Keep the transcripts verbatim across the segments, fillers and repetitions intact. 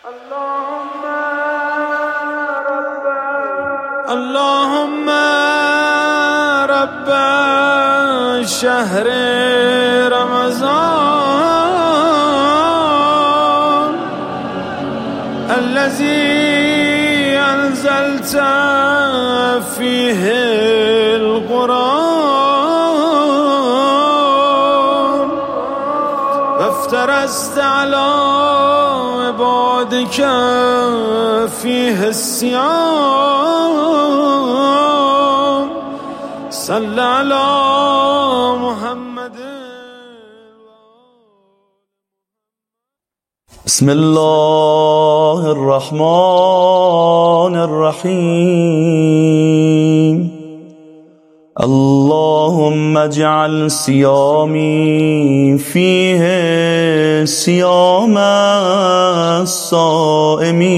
اللهم رب شهر رمضان الذي أنزلت فيه القرآن وافترست على عبادك فيه الصيام صل على محمد. بسم الله الرحمن الرحيم. اللهم اجعل صيامي فيه صيام الصائمين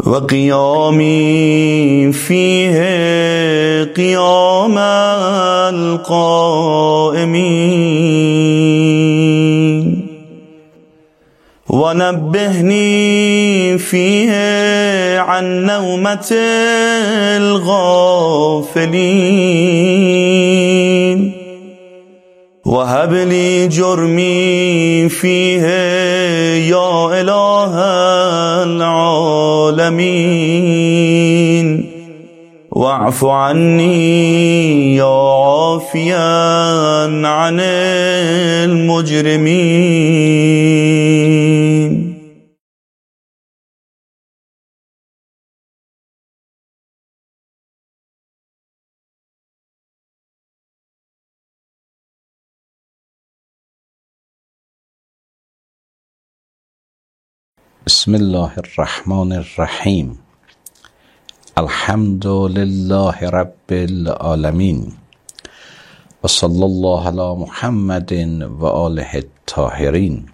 وقيامي فيه قيام القائمين ونبهني فيه عن نومة الغافلين وهب لي جرمي فيه يا إله العالمين واعف عني يا عافيا عن المجرمين. بسم الله الرحمن الرحیم. الحمد لله رب العالمین و صلی الله علی محمد و آله الطاهرین.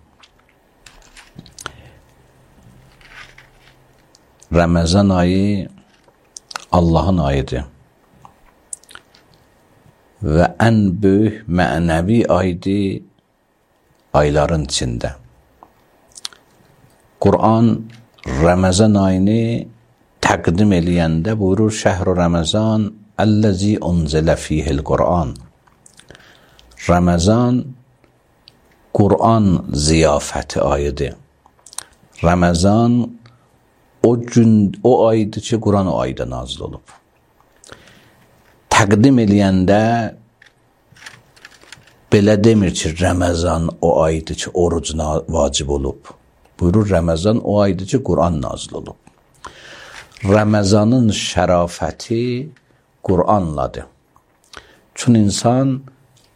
Ramazan ayı Allah'ın ayıdır ve en büyük manevi aydı ayların içinde. Kur'an Ramazan ayını təqdim eləyəndə buyurur: Şəhru Ramazan əlləzi unzilə fihil Kur'an. Ramazan Kur'an ziyafəti ayıdır. Ramazan o gün, o aydır ki, Kur'an o ayda nazil olub. Təqdim eləyəndə belə demir ki, Ramazan o aydır ki, oruc vacib olub. Buyurur, Ramazan o aydır ki, Kur'an nazil olub. Ramazanın şərafəti Kur'anladır. Çünki insan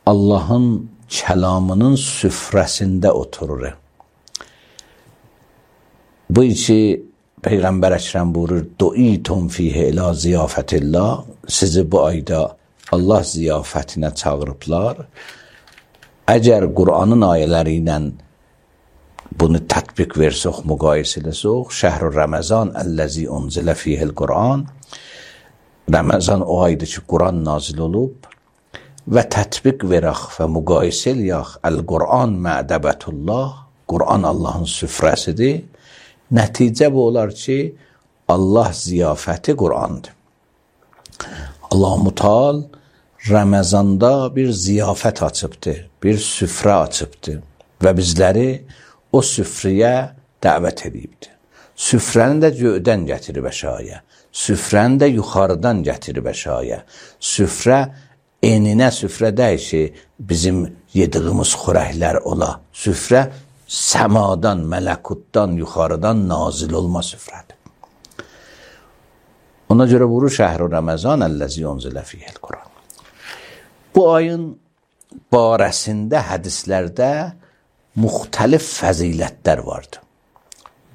Allahın kəlamının süfrəsində oturur. Bu içi Peyğəmbər Əkrəm buyurur: Du'itum fihi ila ziyafətillah. Sizi bu ayda Allah ziyafətinə çağırıblar. Əgər Kur'anın ayələri ilə bunu tətbiq versək, müqayisə eləsək, Şəhr-ü Ramazan əlləzi unzilə fihil Kur'an. Ramazan o aydır ki, Kur'an nazil olub və tətbiq verək və müqayisə eləyək. Əl-Qur'an mə'dəbətullah. Kur'an Allahın süfrəsidir. Nəticə bu olar ki, Allah ziyafəti Kur'andır. Allah-u Mutal Ramazanda bir ziyafət açıbdır, bir süfrə açıbdır və bizləri o süfrəyə dəvət edibdir. Süfrəni də göydən gətirib əşaya, süfrəni də yuxarıdan gətirib əşaya. Süfrə eninə süfrə deyil ki, bizim yediyimiz xörəklər ola. Süfrə səmadan, mələkutdan, yuxarıdan nazil olma süfrədir. Ona görə buyurur: Şəhr-ü Ramazan əlləzi unzilə fihil Kur'an. Bu ayın barəsində hədislərdə müxtəlif fəzilətlər vardır.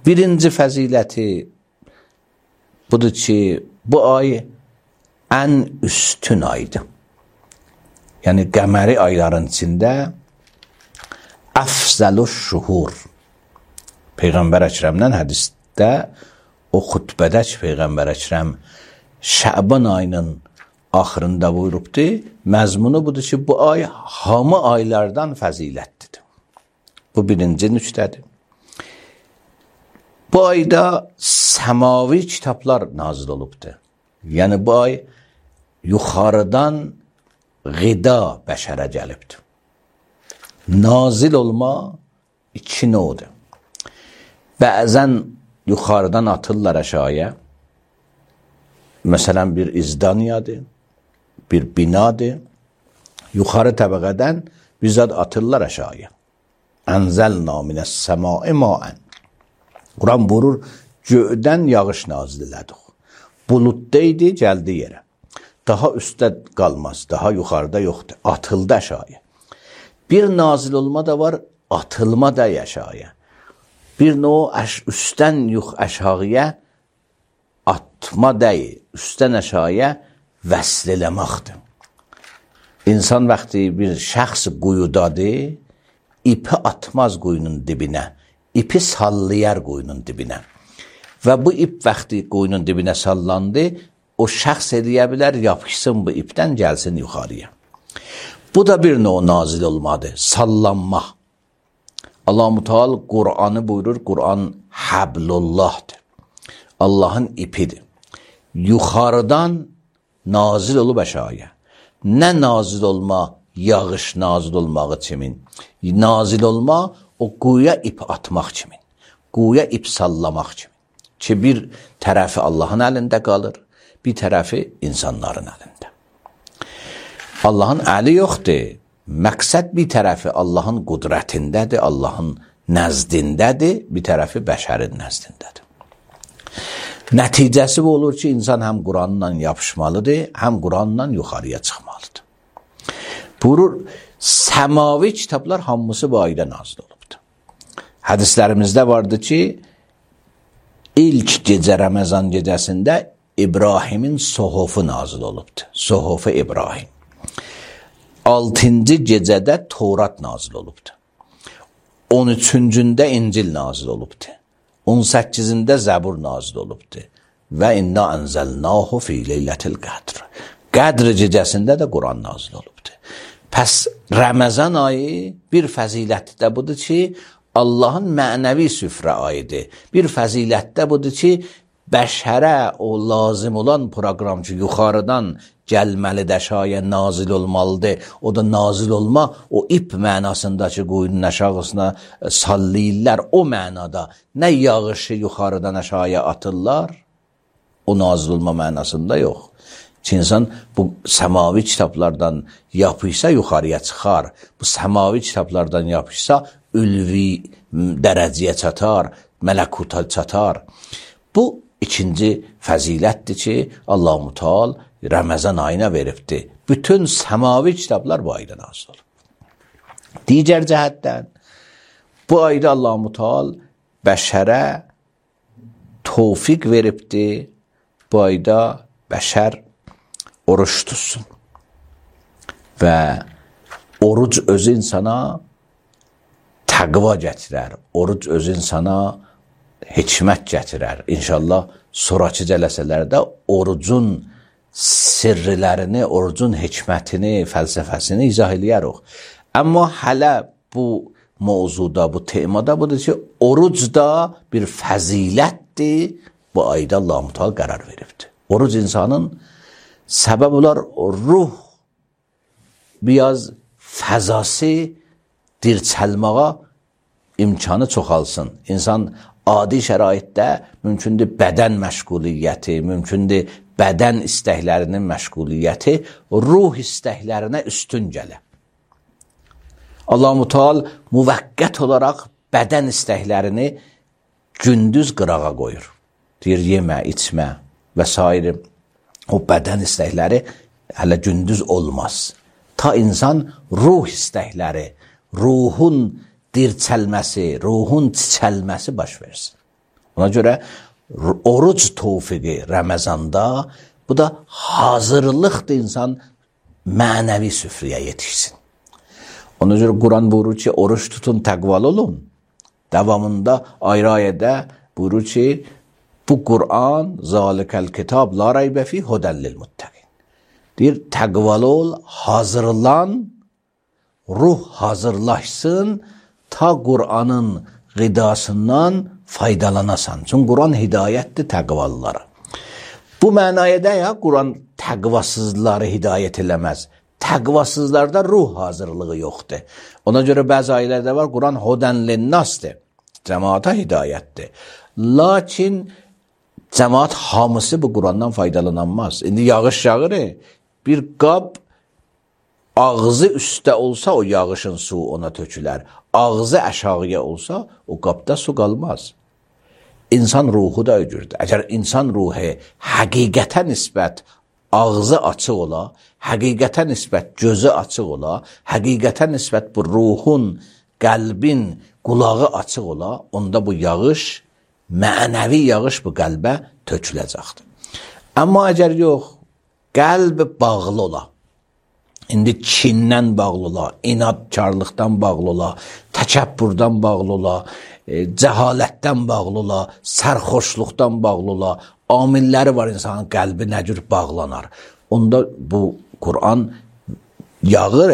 Birinci fəziləti budur ki, bu ay ən üstün aydır. Yəni qəməri ayların içində əfzəlüş şuhur. Peyğəmbər Əkrəmdən hədisdə, o xutbədə ki, Peyğəmbər Əkrəm Şəban ayının axırında buyurubdur, məzmunu budur ki, bu ay hamı aylardan fəzilətlidir. Bu birinci nüktədir. bu ayda semavi kitaplar nazil olubdur. Yəni bu ay yuxarıdan qida bəşərə gəlibdir. Nazil olma iki növdür. Bəzən yuxarıdan atırlar aşağıya. Məsələn bir izdaniyadır, bir binadır. Yuxarı təbəqədən bizzat atırlar aşağıya. Ənzəlna minəs səmai maən. Quran buyurur, göydən yağış nazil elədik. Bulutdaydı, gəldi yerə. Daha üstdə qalmaz, daha yuxarıda yoxdur. Atıldı aşağıya. Bir nazil olma da var, atılma da aşağıya. Bir növ üstdən yux aşağıya atma deyil, üstdən aşağıya vəsl eləməkdir. İnsan vaxtı bir şəxs quyudadır, ipi atmaz quyunun dibinə, ipi sallayar quyunun dibinə. Və bu ip vaxtı quyunun dibinə sallandı, o şəxs eləyə bilər, yapışsın bu ipdən, gəlsin yuxarıya. Bu da bir növ nazil olmadır, sallanma. Allah-u Teala Qur'anı buyurur, Qur'an Hablullah'dır. Allah'ın ipidir. Yuxarıdan nazil olub aşağıya. Nə nazil olma, yağış nazil olmağı kimin? Nazil olma, o quyuya ip atmaq kimin? Quyuya ip sallamaq kimin? Ki bir tərəfi Allahın əlində qalır, bir tərəfi insanların əlində. Allahın əli yoxdur. Məqsəd bir tərəfi Allahın qudrətindədir, Allahın nəzdindədir, bir tərəfi bəşərin nəzdindədir. Nəticəsi bu olur ki, insan həm Quranla yapışmalıdır, həm Quranla yuxarıya çıxmalıdır. Buyurur, səmavi kitablar hamısı bu ayda nazil olubdur. Hədislərimizdə vardı ki, ilk gecə Ramazan gecəsində İbrahimin sohofu nazil olubdur. Sohofu İbrahim. altıncı gecədə Torat nazil olubdur. on üçüncündə İncil nazil olubdur. on səkkizində Zəbur nazil olubdur. Və inna ənzəlnahu fi leylətil qədr. Qədr gecəsində də Quran nazil olubdur. Pəs Ramazan ayı bir fəzilətdə də budur ki, Allahın mənəvi süfrə ayıdır. Bir fəzilətdə budur ki, bəşərə o lazım olan proqram ki, yuxarıdan gəlməlidir, aşağıya nazil olmalıdır. O da nazil olma, o ip mənasındakı quyunun aşağısına sallayırlar. O mənada nə yağışı yuxarıdan aşağıya atırlar, o nazil olma mənasında yox. Ki, insan bu səmavi kitablardan yapışsa yuxarıya çıxar. Bu səmavi kitablardan yapışsa ülvi dərəcəyə çatar, mələkuta çatar. Bu ikinci fəzilətdir ki, Allah-u Teala Ramazan ayına veribdir. Bütün səmavi kitablar bu ayda nazil olur. Digər cəhətdən, bu ayda Allah-u Teala bəşərə tövfiq veribdir. Bu ayda bəşər oruç tutsun. Və oruc özü insana təqva gətirər. Oruc özü insana hikmət gətirər. İnşallah sonraki cələsələrdə orucun sirrilərini, orucun hikmətini, fəlsəfəsini izah eləyərik. Amma hələ bu mövzuda, bu temada budur ki, oruc da bir fəzilətdir. Bu ayda Allah-u Teala qərar veribdir. Oruc insanın səbəb olar ruh biraz fəzası dirçəlməyə imkanı çoxalsın. İnsan adi şəraitdə mümkündür bədən məşğuliyyəti, mümkündür bədən istəklərinin məşğuliyyəti ruh istəklərinə üstün gələ. Allah-u Teala müvəqqət olaraq bədən istəklərini gündüz qırağa qoyur. Deyir, yemə, içmə və s. O bədən istəkləri hələ gündüz olmaz. Ta insan ruh istəkləri, ruhun dirçəlməsi, ruhun çiçəlməsi baş versin. Ona görə oruc tövfiqi Ramazanda, bu da hazırlıqdır insan mənəvi süfrəyə yetişsin. Ona görə Quran buyurur ki, oruç tutun, təqvalı olun. Davamında ayrı ayədə buyurur ki, bu Quran, zalikəl kitab, la raybə fi hudəllil muttəqin. Deyir, təqvalı ol, hazırlan, ruh hazırlaşsın, ta Qur'anın qidasından faydalanasan. Çünki Quran hidayətdir təqvalılara. Bu mənaya da ya Quran təqvasızları hidayət eləməz. Təqvasızlarda ruh hazırlığı yoxdur. Ona görə bəzi ayələrdə var, Quran hudən linnasdır. Cəmaata hidayətdir. Lakin cəmaat hamısı bu Qurandan faydalanamaz. İndi yağış yağır, bir qab ağzı üstə olsa o yağışın su ona tökülər. Ağzı aşağıya olsa o qabda su qalmaz. İnsan ruhu da öcürdür. Əgər insan ruhu həqiqətə nisbət ağzı açıq ola, həqiqətə nisbət gözü açıq ola, həqiqətə nisbət bu ruhun, qəlbin, qulağı açıq ola, onda bu yağış, mənəvi yağış bu qəlbə töküləcəkdir. Amma əgər yox, qəlb bağlı ola, indi kindən bağlı ola, inadkarlıqdan bağlı ola, təkəbbürdən bağlı ola, e, cəhalətdən bağlı ola, sərxoşluqdan bağlı ola, amilləri var insanın qəlbi nə cür bağlanar. Onda bu Quran yağır,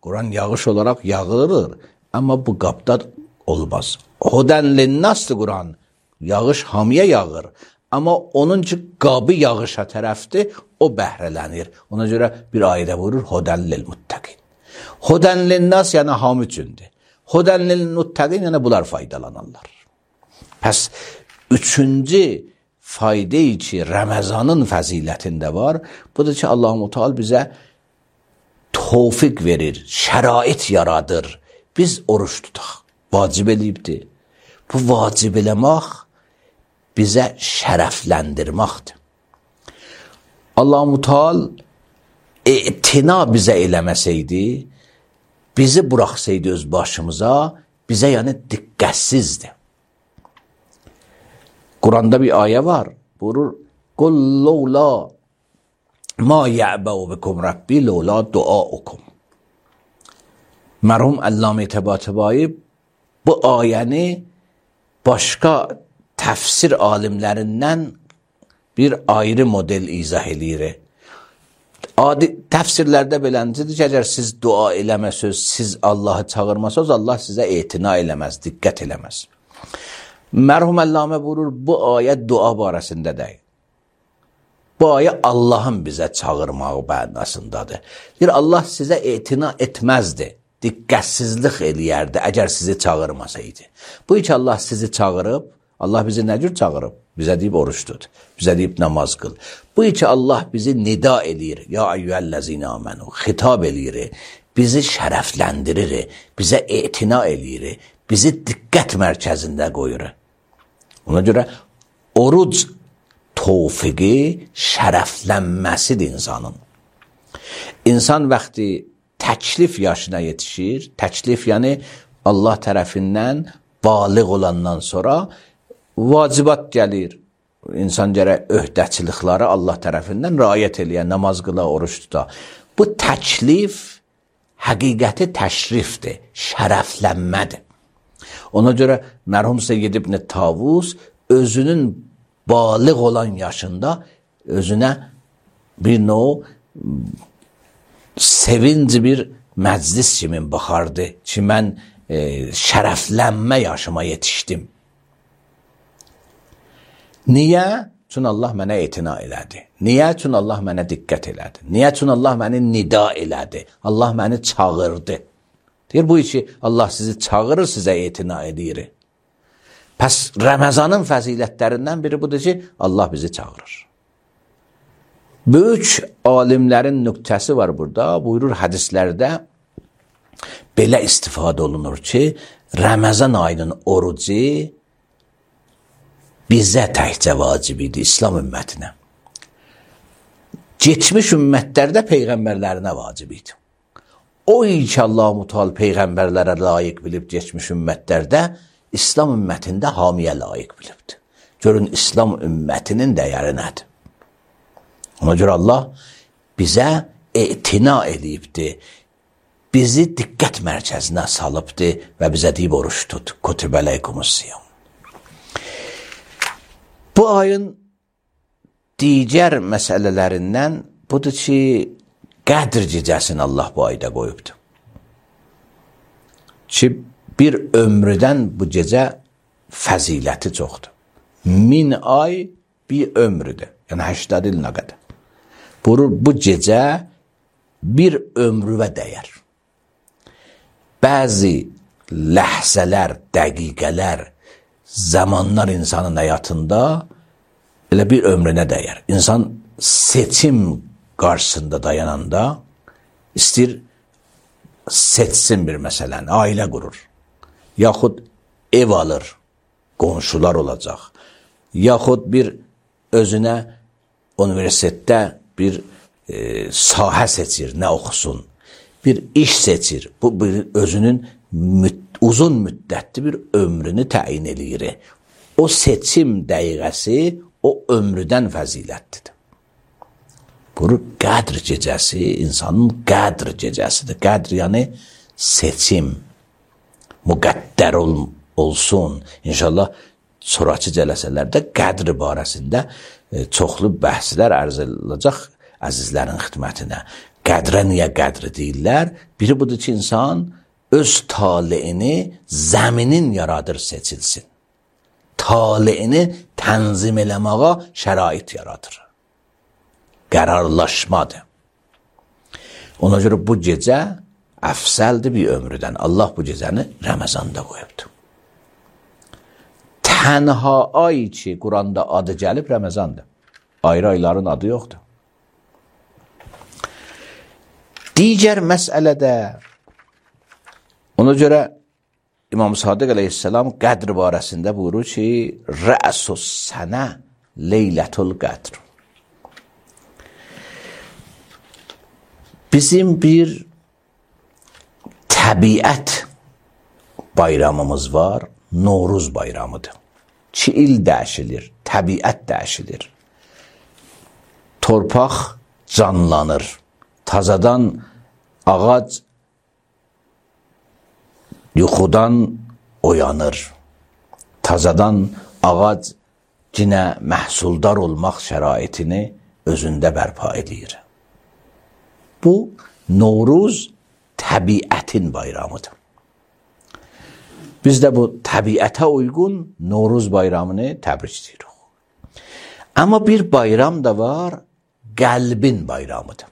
Quran yağış olaraq yağırır, amma bu qabda olmaz. Hudən linnasdır Quran, yağış hamıya yağır. Amma onun ki qabı yağışa tərəfdir, o bəhrələnir. Ona görə bir ayədə vurur, hudən lilmuttəqin. Hudən linnas yəni hamı üçündür. Hudən lilmuttəqin yəni bunlar faydalanarlar. Pəs üçüncü fayda ki Ramazanın fəzilətində var, budur ki Allah-u Teala bizə tövfiq verir, şərait yaradır. Biz oruç tutaq, vacib eləyibdir. Bu vacib eləmək bizə şərəfləndirməkdir. Allah-u Teala etina bizə eləməsəydi, bizi buraxsaydı öz başımıza, bizə yəni diqqətsizdir. Quranda bir ayə var, buyurur, qul lawla ma ya'ba'u bikum rabbi lawla duaukum. Mərhum Əllamə Təbatəbai bu ayəni başqa təfsir alimlərindən bir ayrı model izah eləyir. Adi təfsirlərdə beləncidir ki, əgər siz dua eləməsəz, siz Allahı çağırmasəz, Allah sizə etina eləməz, diqqət eləməz. Mərhum Əllamə buyurur, bu ayə dua barəsində deyil. Bu ayə Allahın bizə çağırmağı mənasındadır. Deyir, Allah sizə etina etməzdi, diqqətsizlik eləyərdi, əgər sizi çağırmasaydı. Bu ki Allah sizi çağırıb, Allah bizi nə cür çağırıb? Bizə deyib oruç tut, bizə deyib namaz qıl. Bu ki Allah bizi nida eləyir, ya eyyühəl-ləzina amenu, xitab eləyir, bizi şərəfləndirir, bizə etina eləyir, bizi diqqət mərkəzində qoyur. Ona görə oruc tövfiqi şərəflənməsidir insanın. İnsan vaxtı təklif yaşına yetişir, təklif yəni Allah tərəfindən baliq olandan sonra vacibat gəlir. İnsan gərək öhdəçilikləri Allah tərəfindən riayət eləyən, namaz qıla, oruç tuta. Bu təklif həqiqəti təşrifdir, şərəflənmədir. Ona görə mərhum Seyyid İbn Tavus özünün baliq olan yaşında özünə bir növ sevinci bir məclis kimi baxardı ki, mən e, şərəflənmə yaşıma yetişdim. Niyə? Çünki Allah mənə etina elədi. Niyə? Çünki Allah mənə diqqət elədi. Niyə? Çünki Allah məni nida elədi. Allah məni çağırdı. Deyir, bu ki Allah sizi çağırır, sizə etina edir. Pəs Ramazanın fəzilətlərindən biri budur ki, Allah bizi çağırır. Böyük alimlərin nöqtəsi var burada. Buyurur hədislərdə belə istifadə olunur ki, Ramazan ayının orucu bizə təkcə vacib idi, İslam ümmətinə. Geçmiş ümmətlərdə peyğəmbərlərinə vacib idi. O ki Allah-u Teala peyğəmbərlərə layiq bilib geçmiş ümmətlərdə, İslam ümmətində hamiyə layiq bilibdir. Görün, İslam ümmətinin dəyəri nədir? Ona görə Allah bizə etina eləyibdir, bizi diqqət mərkəzinə salıbdır və bizə deyib oruç tut, kutibə leykumus-siyam. Bu ayın digər məsələlərindən budur ki, Qədr gecəsini Allah bu ayda qoyubdur. Ki, bir ömrüdən bu gecə fəziləti çoxdur. Min ay bir ömrüdür. Yəni həştad il nə qədər. Buyurur, bu gecə bir ömrüvə dəyər. Bəzi ləhzələr, dəqiqələr, zamanlar insanın həyatında elə bir ömrünə dəyər. İnsan seçim qarşısında dayananda istəyir seçsin bir məsələni, ailə qurur. Yaxud ev alır, qonşular olacaq. Yaxud bir özünə universitetdə bir e, sahə seçir, nə oxusun. Bir iş seçir. Bu bir özünün müd uzun müddətli bir ömrünü təyin eləyir. O seçim dəqiqəsi o ömrüdən fəzilətlidir. Bu qədr gecəsi insanın qədr gecəsidir. Qədr yəni seçim, müqəddər ol, olsun. İnşallah sonraki cələsələrdə qədr barəsində e, çoxlu bəhslər ərz ediləcək əzizlərin xidmətinə. Qədrə niyə qədri deyirlər? Biri budur ki, insan öz taleyini zəminin yaradır seçilsin. Taleyini tənzim eləməyə şərait yaradır. Qərarlaşmadır. Ona görə bu gecə əfsəldir bir ömrüdən. Allah bu gecəni Ramazanda qoyubdur. Tənha ay ki, Quranda adı gəlib Ramazandır. Ayrı ayların adı yoxdur. Digər məsələdə ona görə İmam Sadiq əleyhissalam qədr barəsində buyurur ki, rə'sus sənə leylətul qədr. Bizim bir təbiət bayramımız var, Novruz bayramıdır. Ki il dəyişilir, təbiət dəyişilir. Torpaq canlanır, tazadan ağac yuxudan oyanır. Tazadan ağac yenə məhsuldar olmaq şəraitini özündə bərpa edir. Bu, Novruz təbiətin bayramıdır. Biz də bu təbiətə uyğun Novruz bayramını təbrik edirik. Amma bir bayram da var, qəlbin bayramıdır.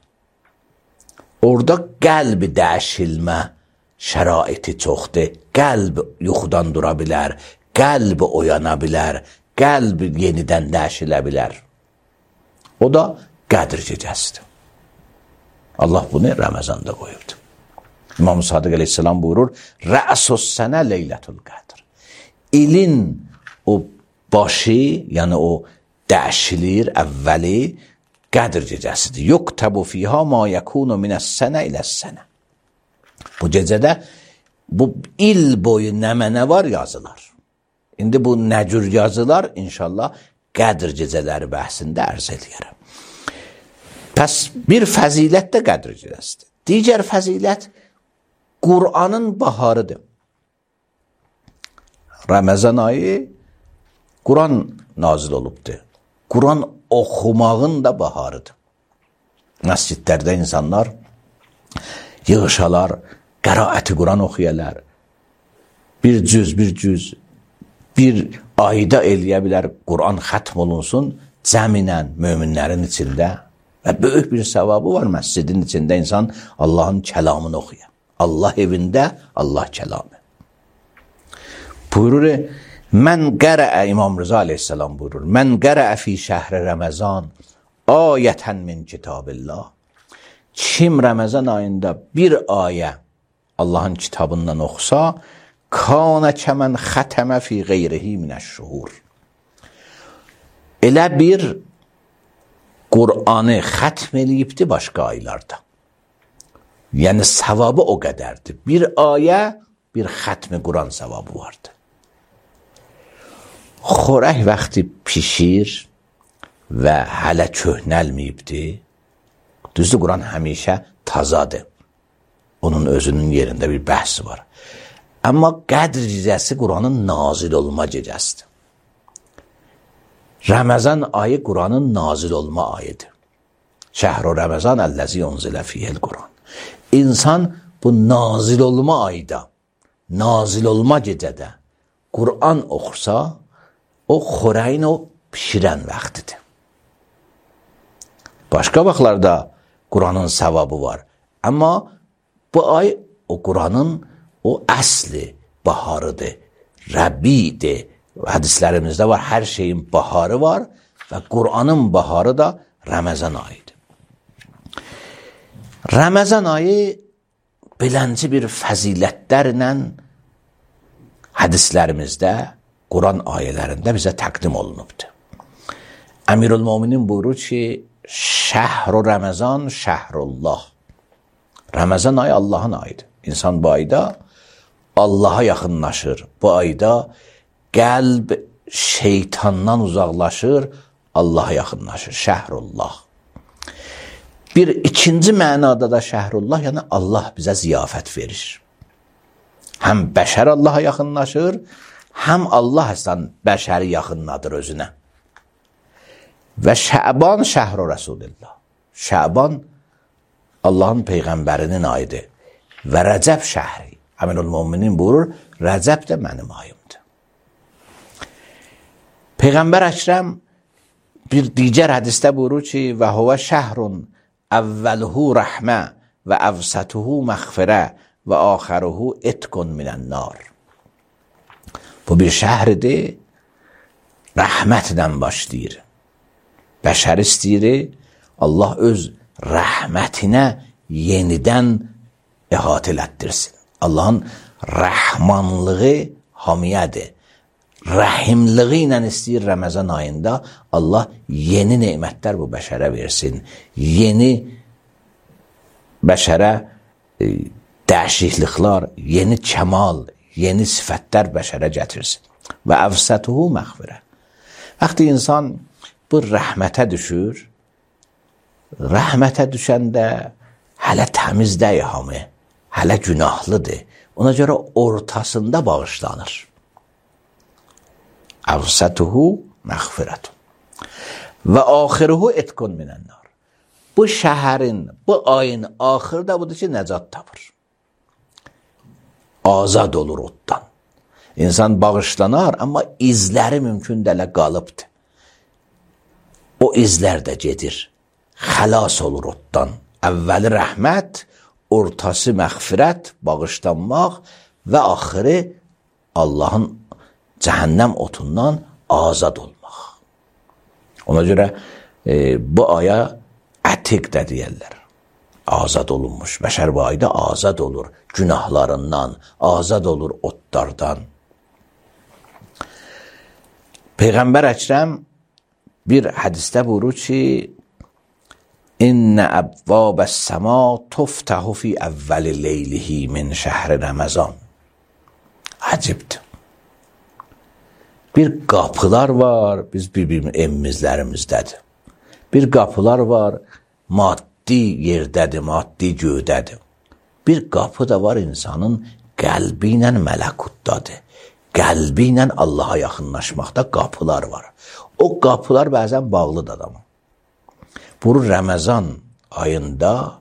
Orada qəlbi dəyişilmə şəraiti çoxdur. Qəlb yuxudan dura bilər, qəlb oyana bilər, qəlb yenidən dəyişilə bilər. O da qədr gecəsidir. Allah bunu Ramazanda qoyubdur. İmam Sadiq əleyhissalam buyurur, rə'sus sənə leylətul qədr. İlin o başı, yəni o dəyişilir, əvvəli qədr gecəsidir. Yuktəbu fiyha ma yəkunu minəs sənə iləs sənə. Bu gecədə bu il boyu nəmənə var yazılar. İndi bu nəcür yazılar inşallah qədr gecələri bəhsində ərz edərəm. Pəs bir fəzilət də qədr gecəsidir. Digər fəzilət Qur'anın baharıdır. Ramazan ayı Qur'an nazil olubdur. Qur'an oxumağın da baharıdır. Məscidlərdə insanlar yığışalar, qəraəti Qur'an oxuyarlar. Bir cüz, bir cüz, bir ayda eləyə bilər Qur'an xətm olunsun cəminən möminlərin içində və böyük bir savabı var məscidin içində insan Allahın kəlamını oxuyar. Allah evində Allah kəlamı. Buyurur, mən qərəə, İmam Rıza aleyhissalam buyurur, mən qərəə fi şəhri Ramazan ayətən min kitabillah. Kim Ramazan ayında bir ayə Allahın kitabından oxusa, kanə kəmən xətəmə fi qeyrihi minəş-şuhur. Elə bir Qur'anı xətm eləyibdi başqa aylarda. Yəni savabı o qədərdir. Bir ayə, bir xətmi Qur'an savabı vardır. Xorək vaxtı pişir və hələ köhnəlməyibdir. Düzdür, Qur'an həmişə tazadır. Onun özünün yerində bir bəhsi var. Amma qədr gecəsi Qur'anın nazil olma gecəsidir. Ramazan ayı Qur'anın nazil olma ayıdır. Şəhru Ramazan əlləzi unzilə fiyel Qur'an. İnsan bu nazil olma ayda, nazil olma gecədə Qur'an oxusa, o xörəyin o pişirən vaxtıdır. Başqa vaxtlarda Qur'anın savabı var. Amma bu ay o Qur'anın o əsli baharıdır, Rəbidir. Hədislərimizdə var, hər şeyin baharı var və Qur'anın baharı da Ramazan ayıdır. Ramazan ayı beləncə bir fəzilətlərlə hədislərimizdə, Quran ayələrində bizə təqdim olunubdur. Əmirül-Möminin buyurur ki, şəhru Ramazan şəhrullah. Ramazan ayı Allahın ayıdır. İnsan bu ayda Allaha yaxınlaşır. Bu ayda qəlb şeytandan uzaqlaşır, Allaha yaxınlaşır. Şəhrullah. Bir ikinci mənada da şəhrullah, yəni Allah bizə ziyafət verir. Həm bəşər Allaha yaxınlaşır, həm Allah əslən bəşəri yaxınladır özünə. Və Şəban şəhru Rasulillah. Şəban Allahın Peyğəmbərinin ayıdır. Və Rəcəb şəhri. Əmirül-Möminin buyurur, Rəcəb də mənim ayımdır. Peyğəmbər Əkrəm bir digər hədisdə buyurur ki, və huvə şəhrun əvvəluhu rəhmə və əvsətuhu məğfirə və axəruhu etqun minən nar. Bu bir şəhridir, rəhmətlə başlayır. Bəşər istəyir, Allah öz rəhmətinə yenidən əhatə elətdirsin. Allahın rəhmanlığı hamiyədir. Rəhimliği ilə istəyir Ramazan ayında Allah yeni nemətlər bu bəşərə versin. Yeni bəşərə e, dəyişikliklər, yeni kəmal, yeni sifətlər bəşərə gətirsin. Və əvsətuhu məğfirə. Vaxtı insan bu rəhmətə düşür, rəhmətə düşəndə hələ təmiz deyil hamı, hələ günahlıdır. Ona görə ortasında bağışlanır. Əvsətuhu məğfirətun. Və axiruhu etqun minən nar. Bu şəhərin, bu ayın axırı da budur ki, nəcat tapır. Azad olur oddan. İnsan bağışlanar, amma izləri mümkün dələ qalıbdır. O izlər də gedir. Xəlas olur oddan. Əvvəli rəhmət, ortası məğfirət, bağışlanmaq və axırı Allahın cəhənnəm otundan azad olmaq. Ona görə e, bu aya ətiq də deyərlər. Azad olunmuş. Bəşər bu ayda azad olur günahlarından, azad olur otlardan. Peyğəmbər Əkrəm bir hədisdə buyurur ki, İnnə əbvəbəs səma tuftəhu fi əvvəli leylihi min şəhri Ramazan. Əcibdir. Bir qapılar var, biz bir-bir evimizlərimizdədir. Bir qapılar var, maddi yerdədir, maddi göydədir. Bir qapı da var insanın qəlbi ilə mələkutdadır. Qəlbi ilə Allaha yaxınlaşmaqda qapılar var. O qapılar bəzən bağlıdır adamın. Bu Ramazan ayında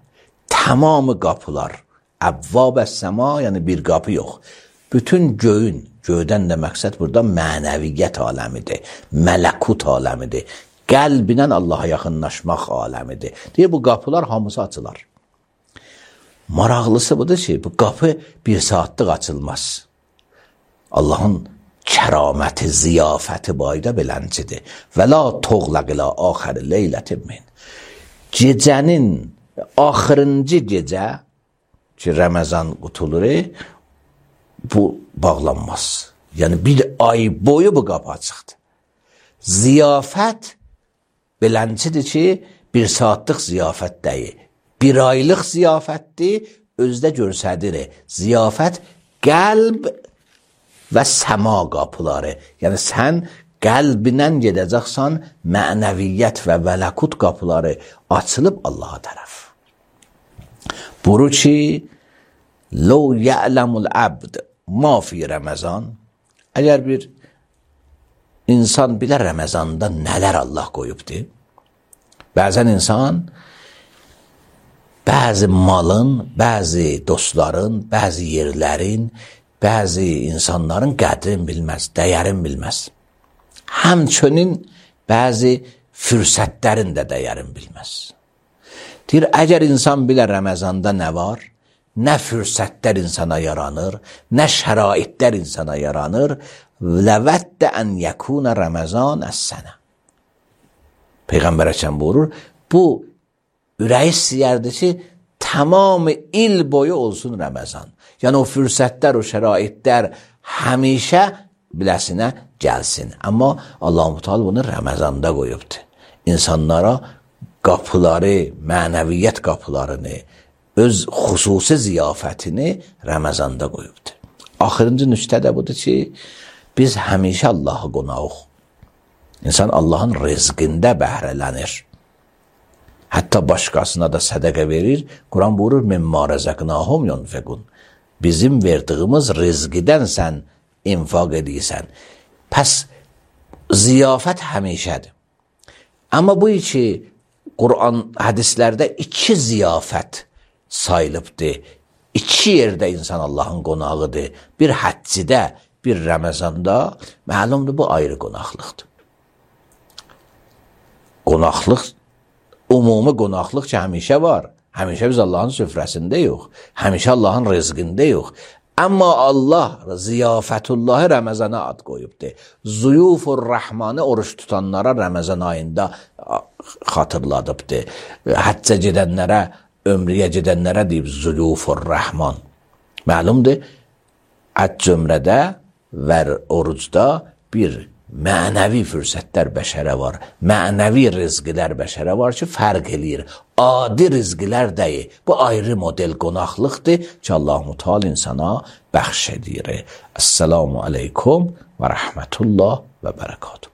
tamamı qapılar, əvvəbəs səma, yəni bir qapı yox. Bütün göyün, göydən də məqsəd burada mənəviyyət aləmidir, mələkut aləmidir, qəlbinən Allaha yaxınlaşmaq aləmidir. Deyir, bu qapılar hamısı açılar. Maraqlısı budur ki, bu qapı bir saatlıq açılmaz. Allahın kəraməti, ziyafəti bayda beləncidir. Və la toğlaqila axəri leylətin min. Gecənin axırıncı gecə ki, Ramazan qutulur, bu bağlanmaz. Yəni bir ay boyu bu qapı açıqdır. Ziyafət beləncidir ki, bir saatlıq ziyafət deyil. Bir aylıq ziyafətdir, özdə görsədir. Ziyafət qəlb və səma qapıları. Yəni sən qəlbindən gedəcəksən, mənəviyyət və mələkut qapıları açılıb Allaha tərəf. Buyurur ki, لو يعلم العبد ما fi Ramazan. Əgər bir insan bilər Ramazanda nələr Allah qoyubdur. Bəzən insan bəzi malın, bəzi dostların, bəzi yerlərin, bəzi insanların qədrin bilməz, dəyərin bilməz. Həmçinin bəzi fürsətlərin də dəyərin bilməz. Deyir, əgər insan bilər Ramazanda nə var, nə fürsətlər insana yaranır, nə şəraitlər insana yaranır, ləvəddə ən yəkuna Ramazan əs-sənə. Peyğəmbər Əkəm buyurur, bu ürəyi istəyərdi ki, tamam il boyu olsun Ramazan. Yəni o fürsətlər, o şəraitlər həmişə biləsinə gəlsin. Amma Allah-u Teala bunu Ramazanda qoyubdur. İnsanlara qapıları, mənəviyyət qapılarını, öz xüsusi ziyafətini Ramazanda qoyubdur. Axırıncı nüktə də budur ki, biz həmişə Allah'a qonağıq. İnsan Allahın rizqində bəhrələnir. Hətta başqasına da sədəqə verir. Quran buyurur, mimma rəzəqnahum yunfiqun. Bizim verdiyimiz rizqidən sən infaq edirsən. Pəs ziyafət həmişədir. Amma bu iki Quran hədislərdə iki ziyafət sayılıbdır. İki yerdə insan Allahın qonağıdır. Bir həccidə, bir Ramazanda. Məlumdur, bu ayrı qonaqlıqdır. Qonaqlıq, umumi qonaqlıq ki, həmişə var. Həmişə biz Allahın süfrəsində yox. Həmişə Allahın rizqində yox. Amma Allah ziyafətullahı Ramazana ad qoyubdur. Zuyufur Rəhmanı oruç tutanlara Ramazan ayında xatırladıbdır. Həccə gedənlərə, ömrəyə gedənlərə deyib Zuyufur Rəhman. Məlumdur, həcc ömrədə və orucda bir mənəvi fürsətlər bəşərə var. Mənəvi rizqilər bəşərə var ki, fərq eləyir. Adi rizqilər deyil. Bu ayrı model qonaqlıqdır ki, Allah-u Teala insana bəxş edir. Esselamu aleykum və rəhmətullah və bərəkatuhu.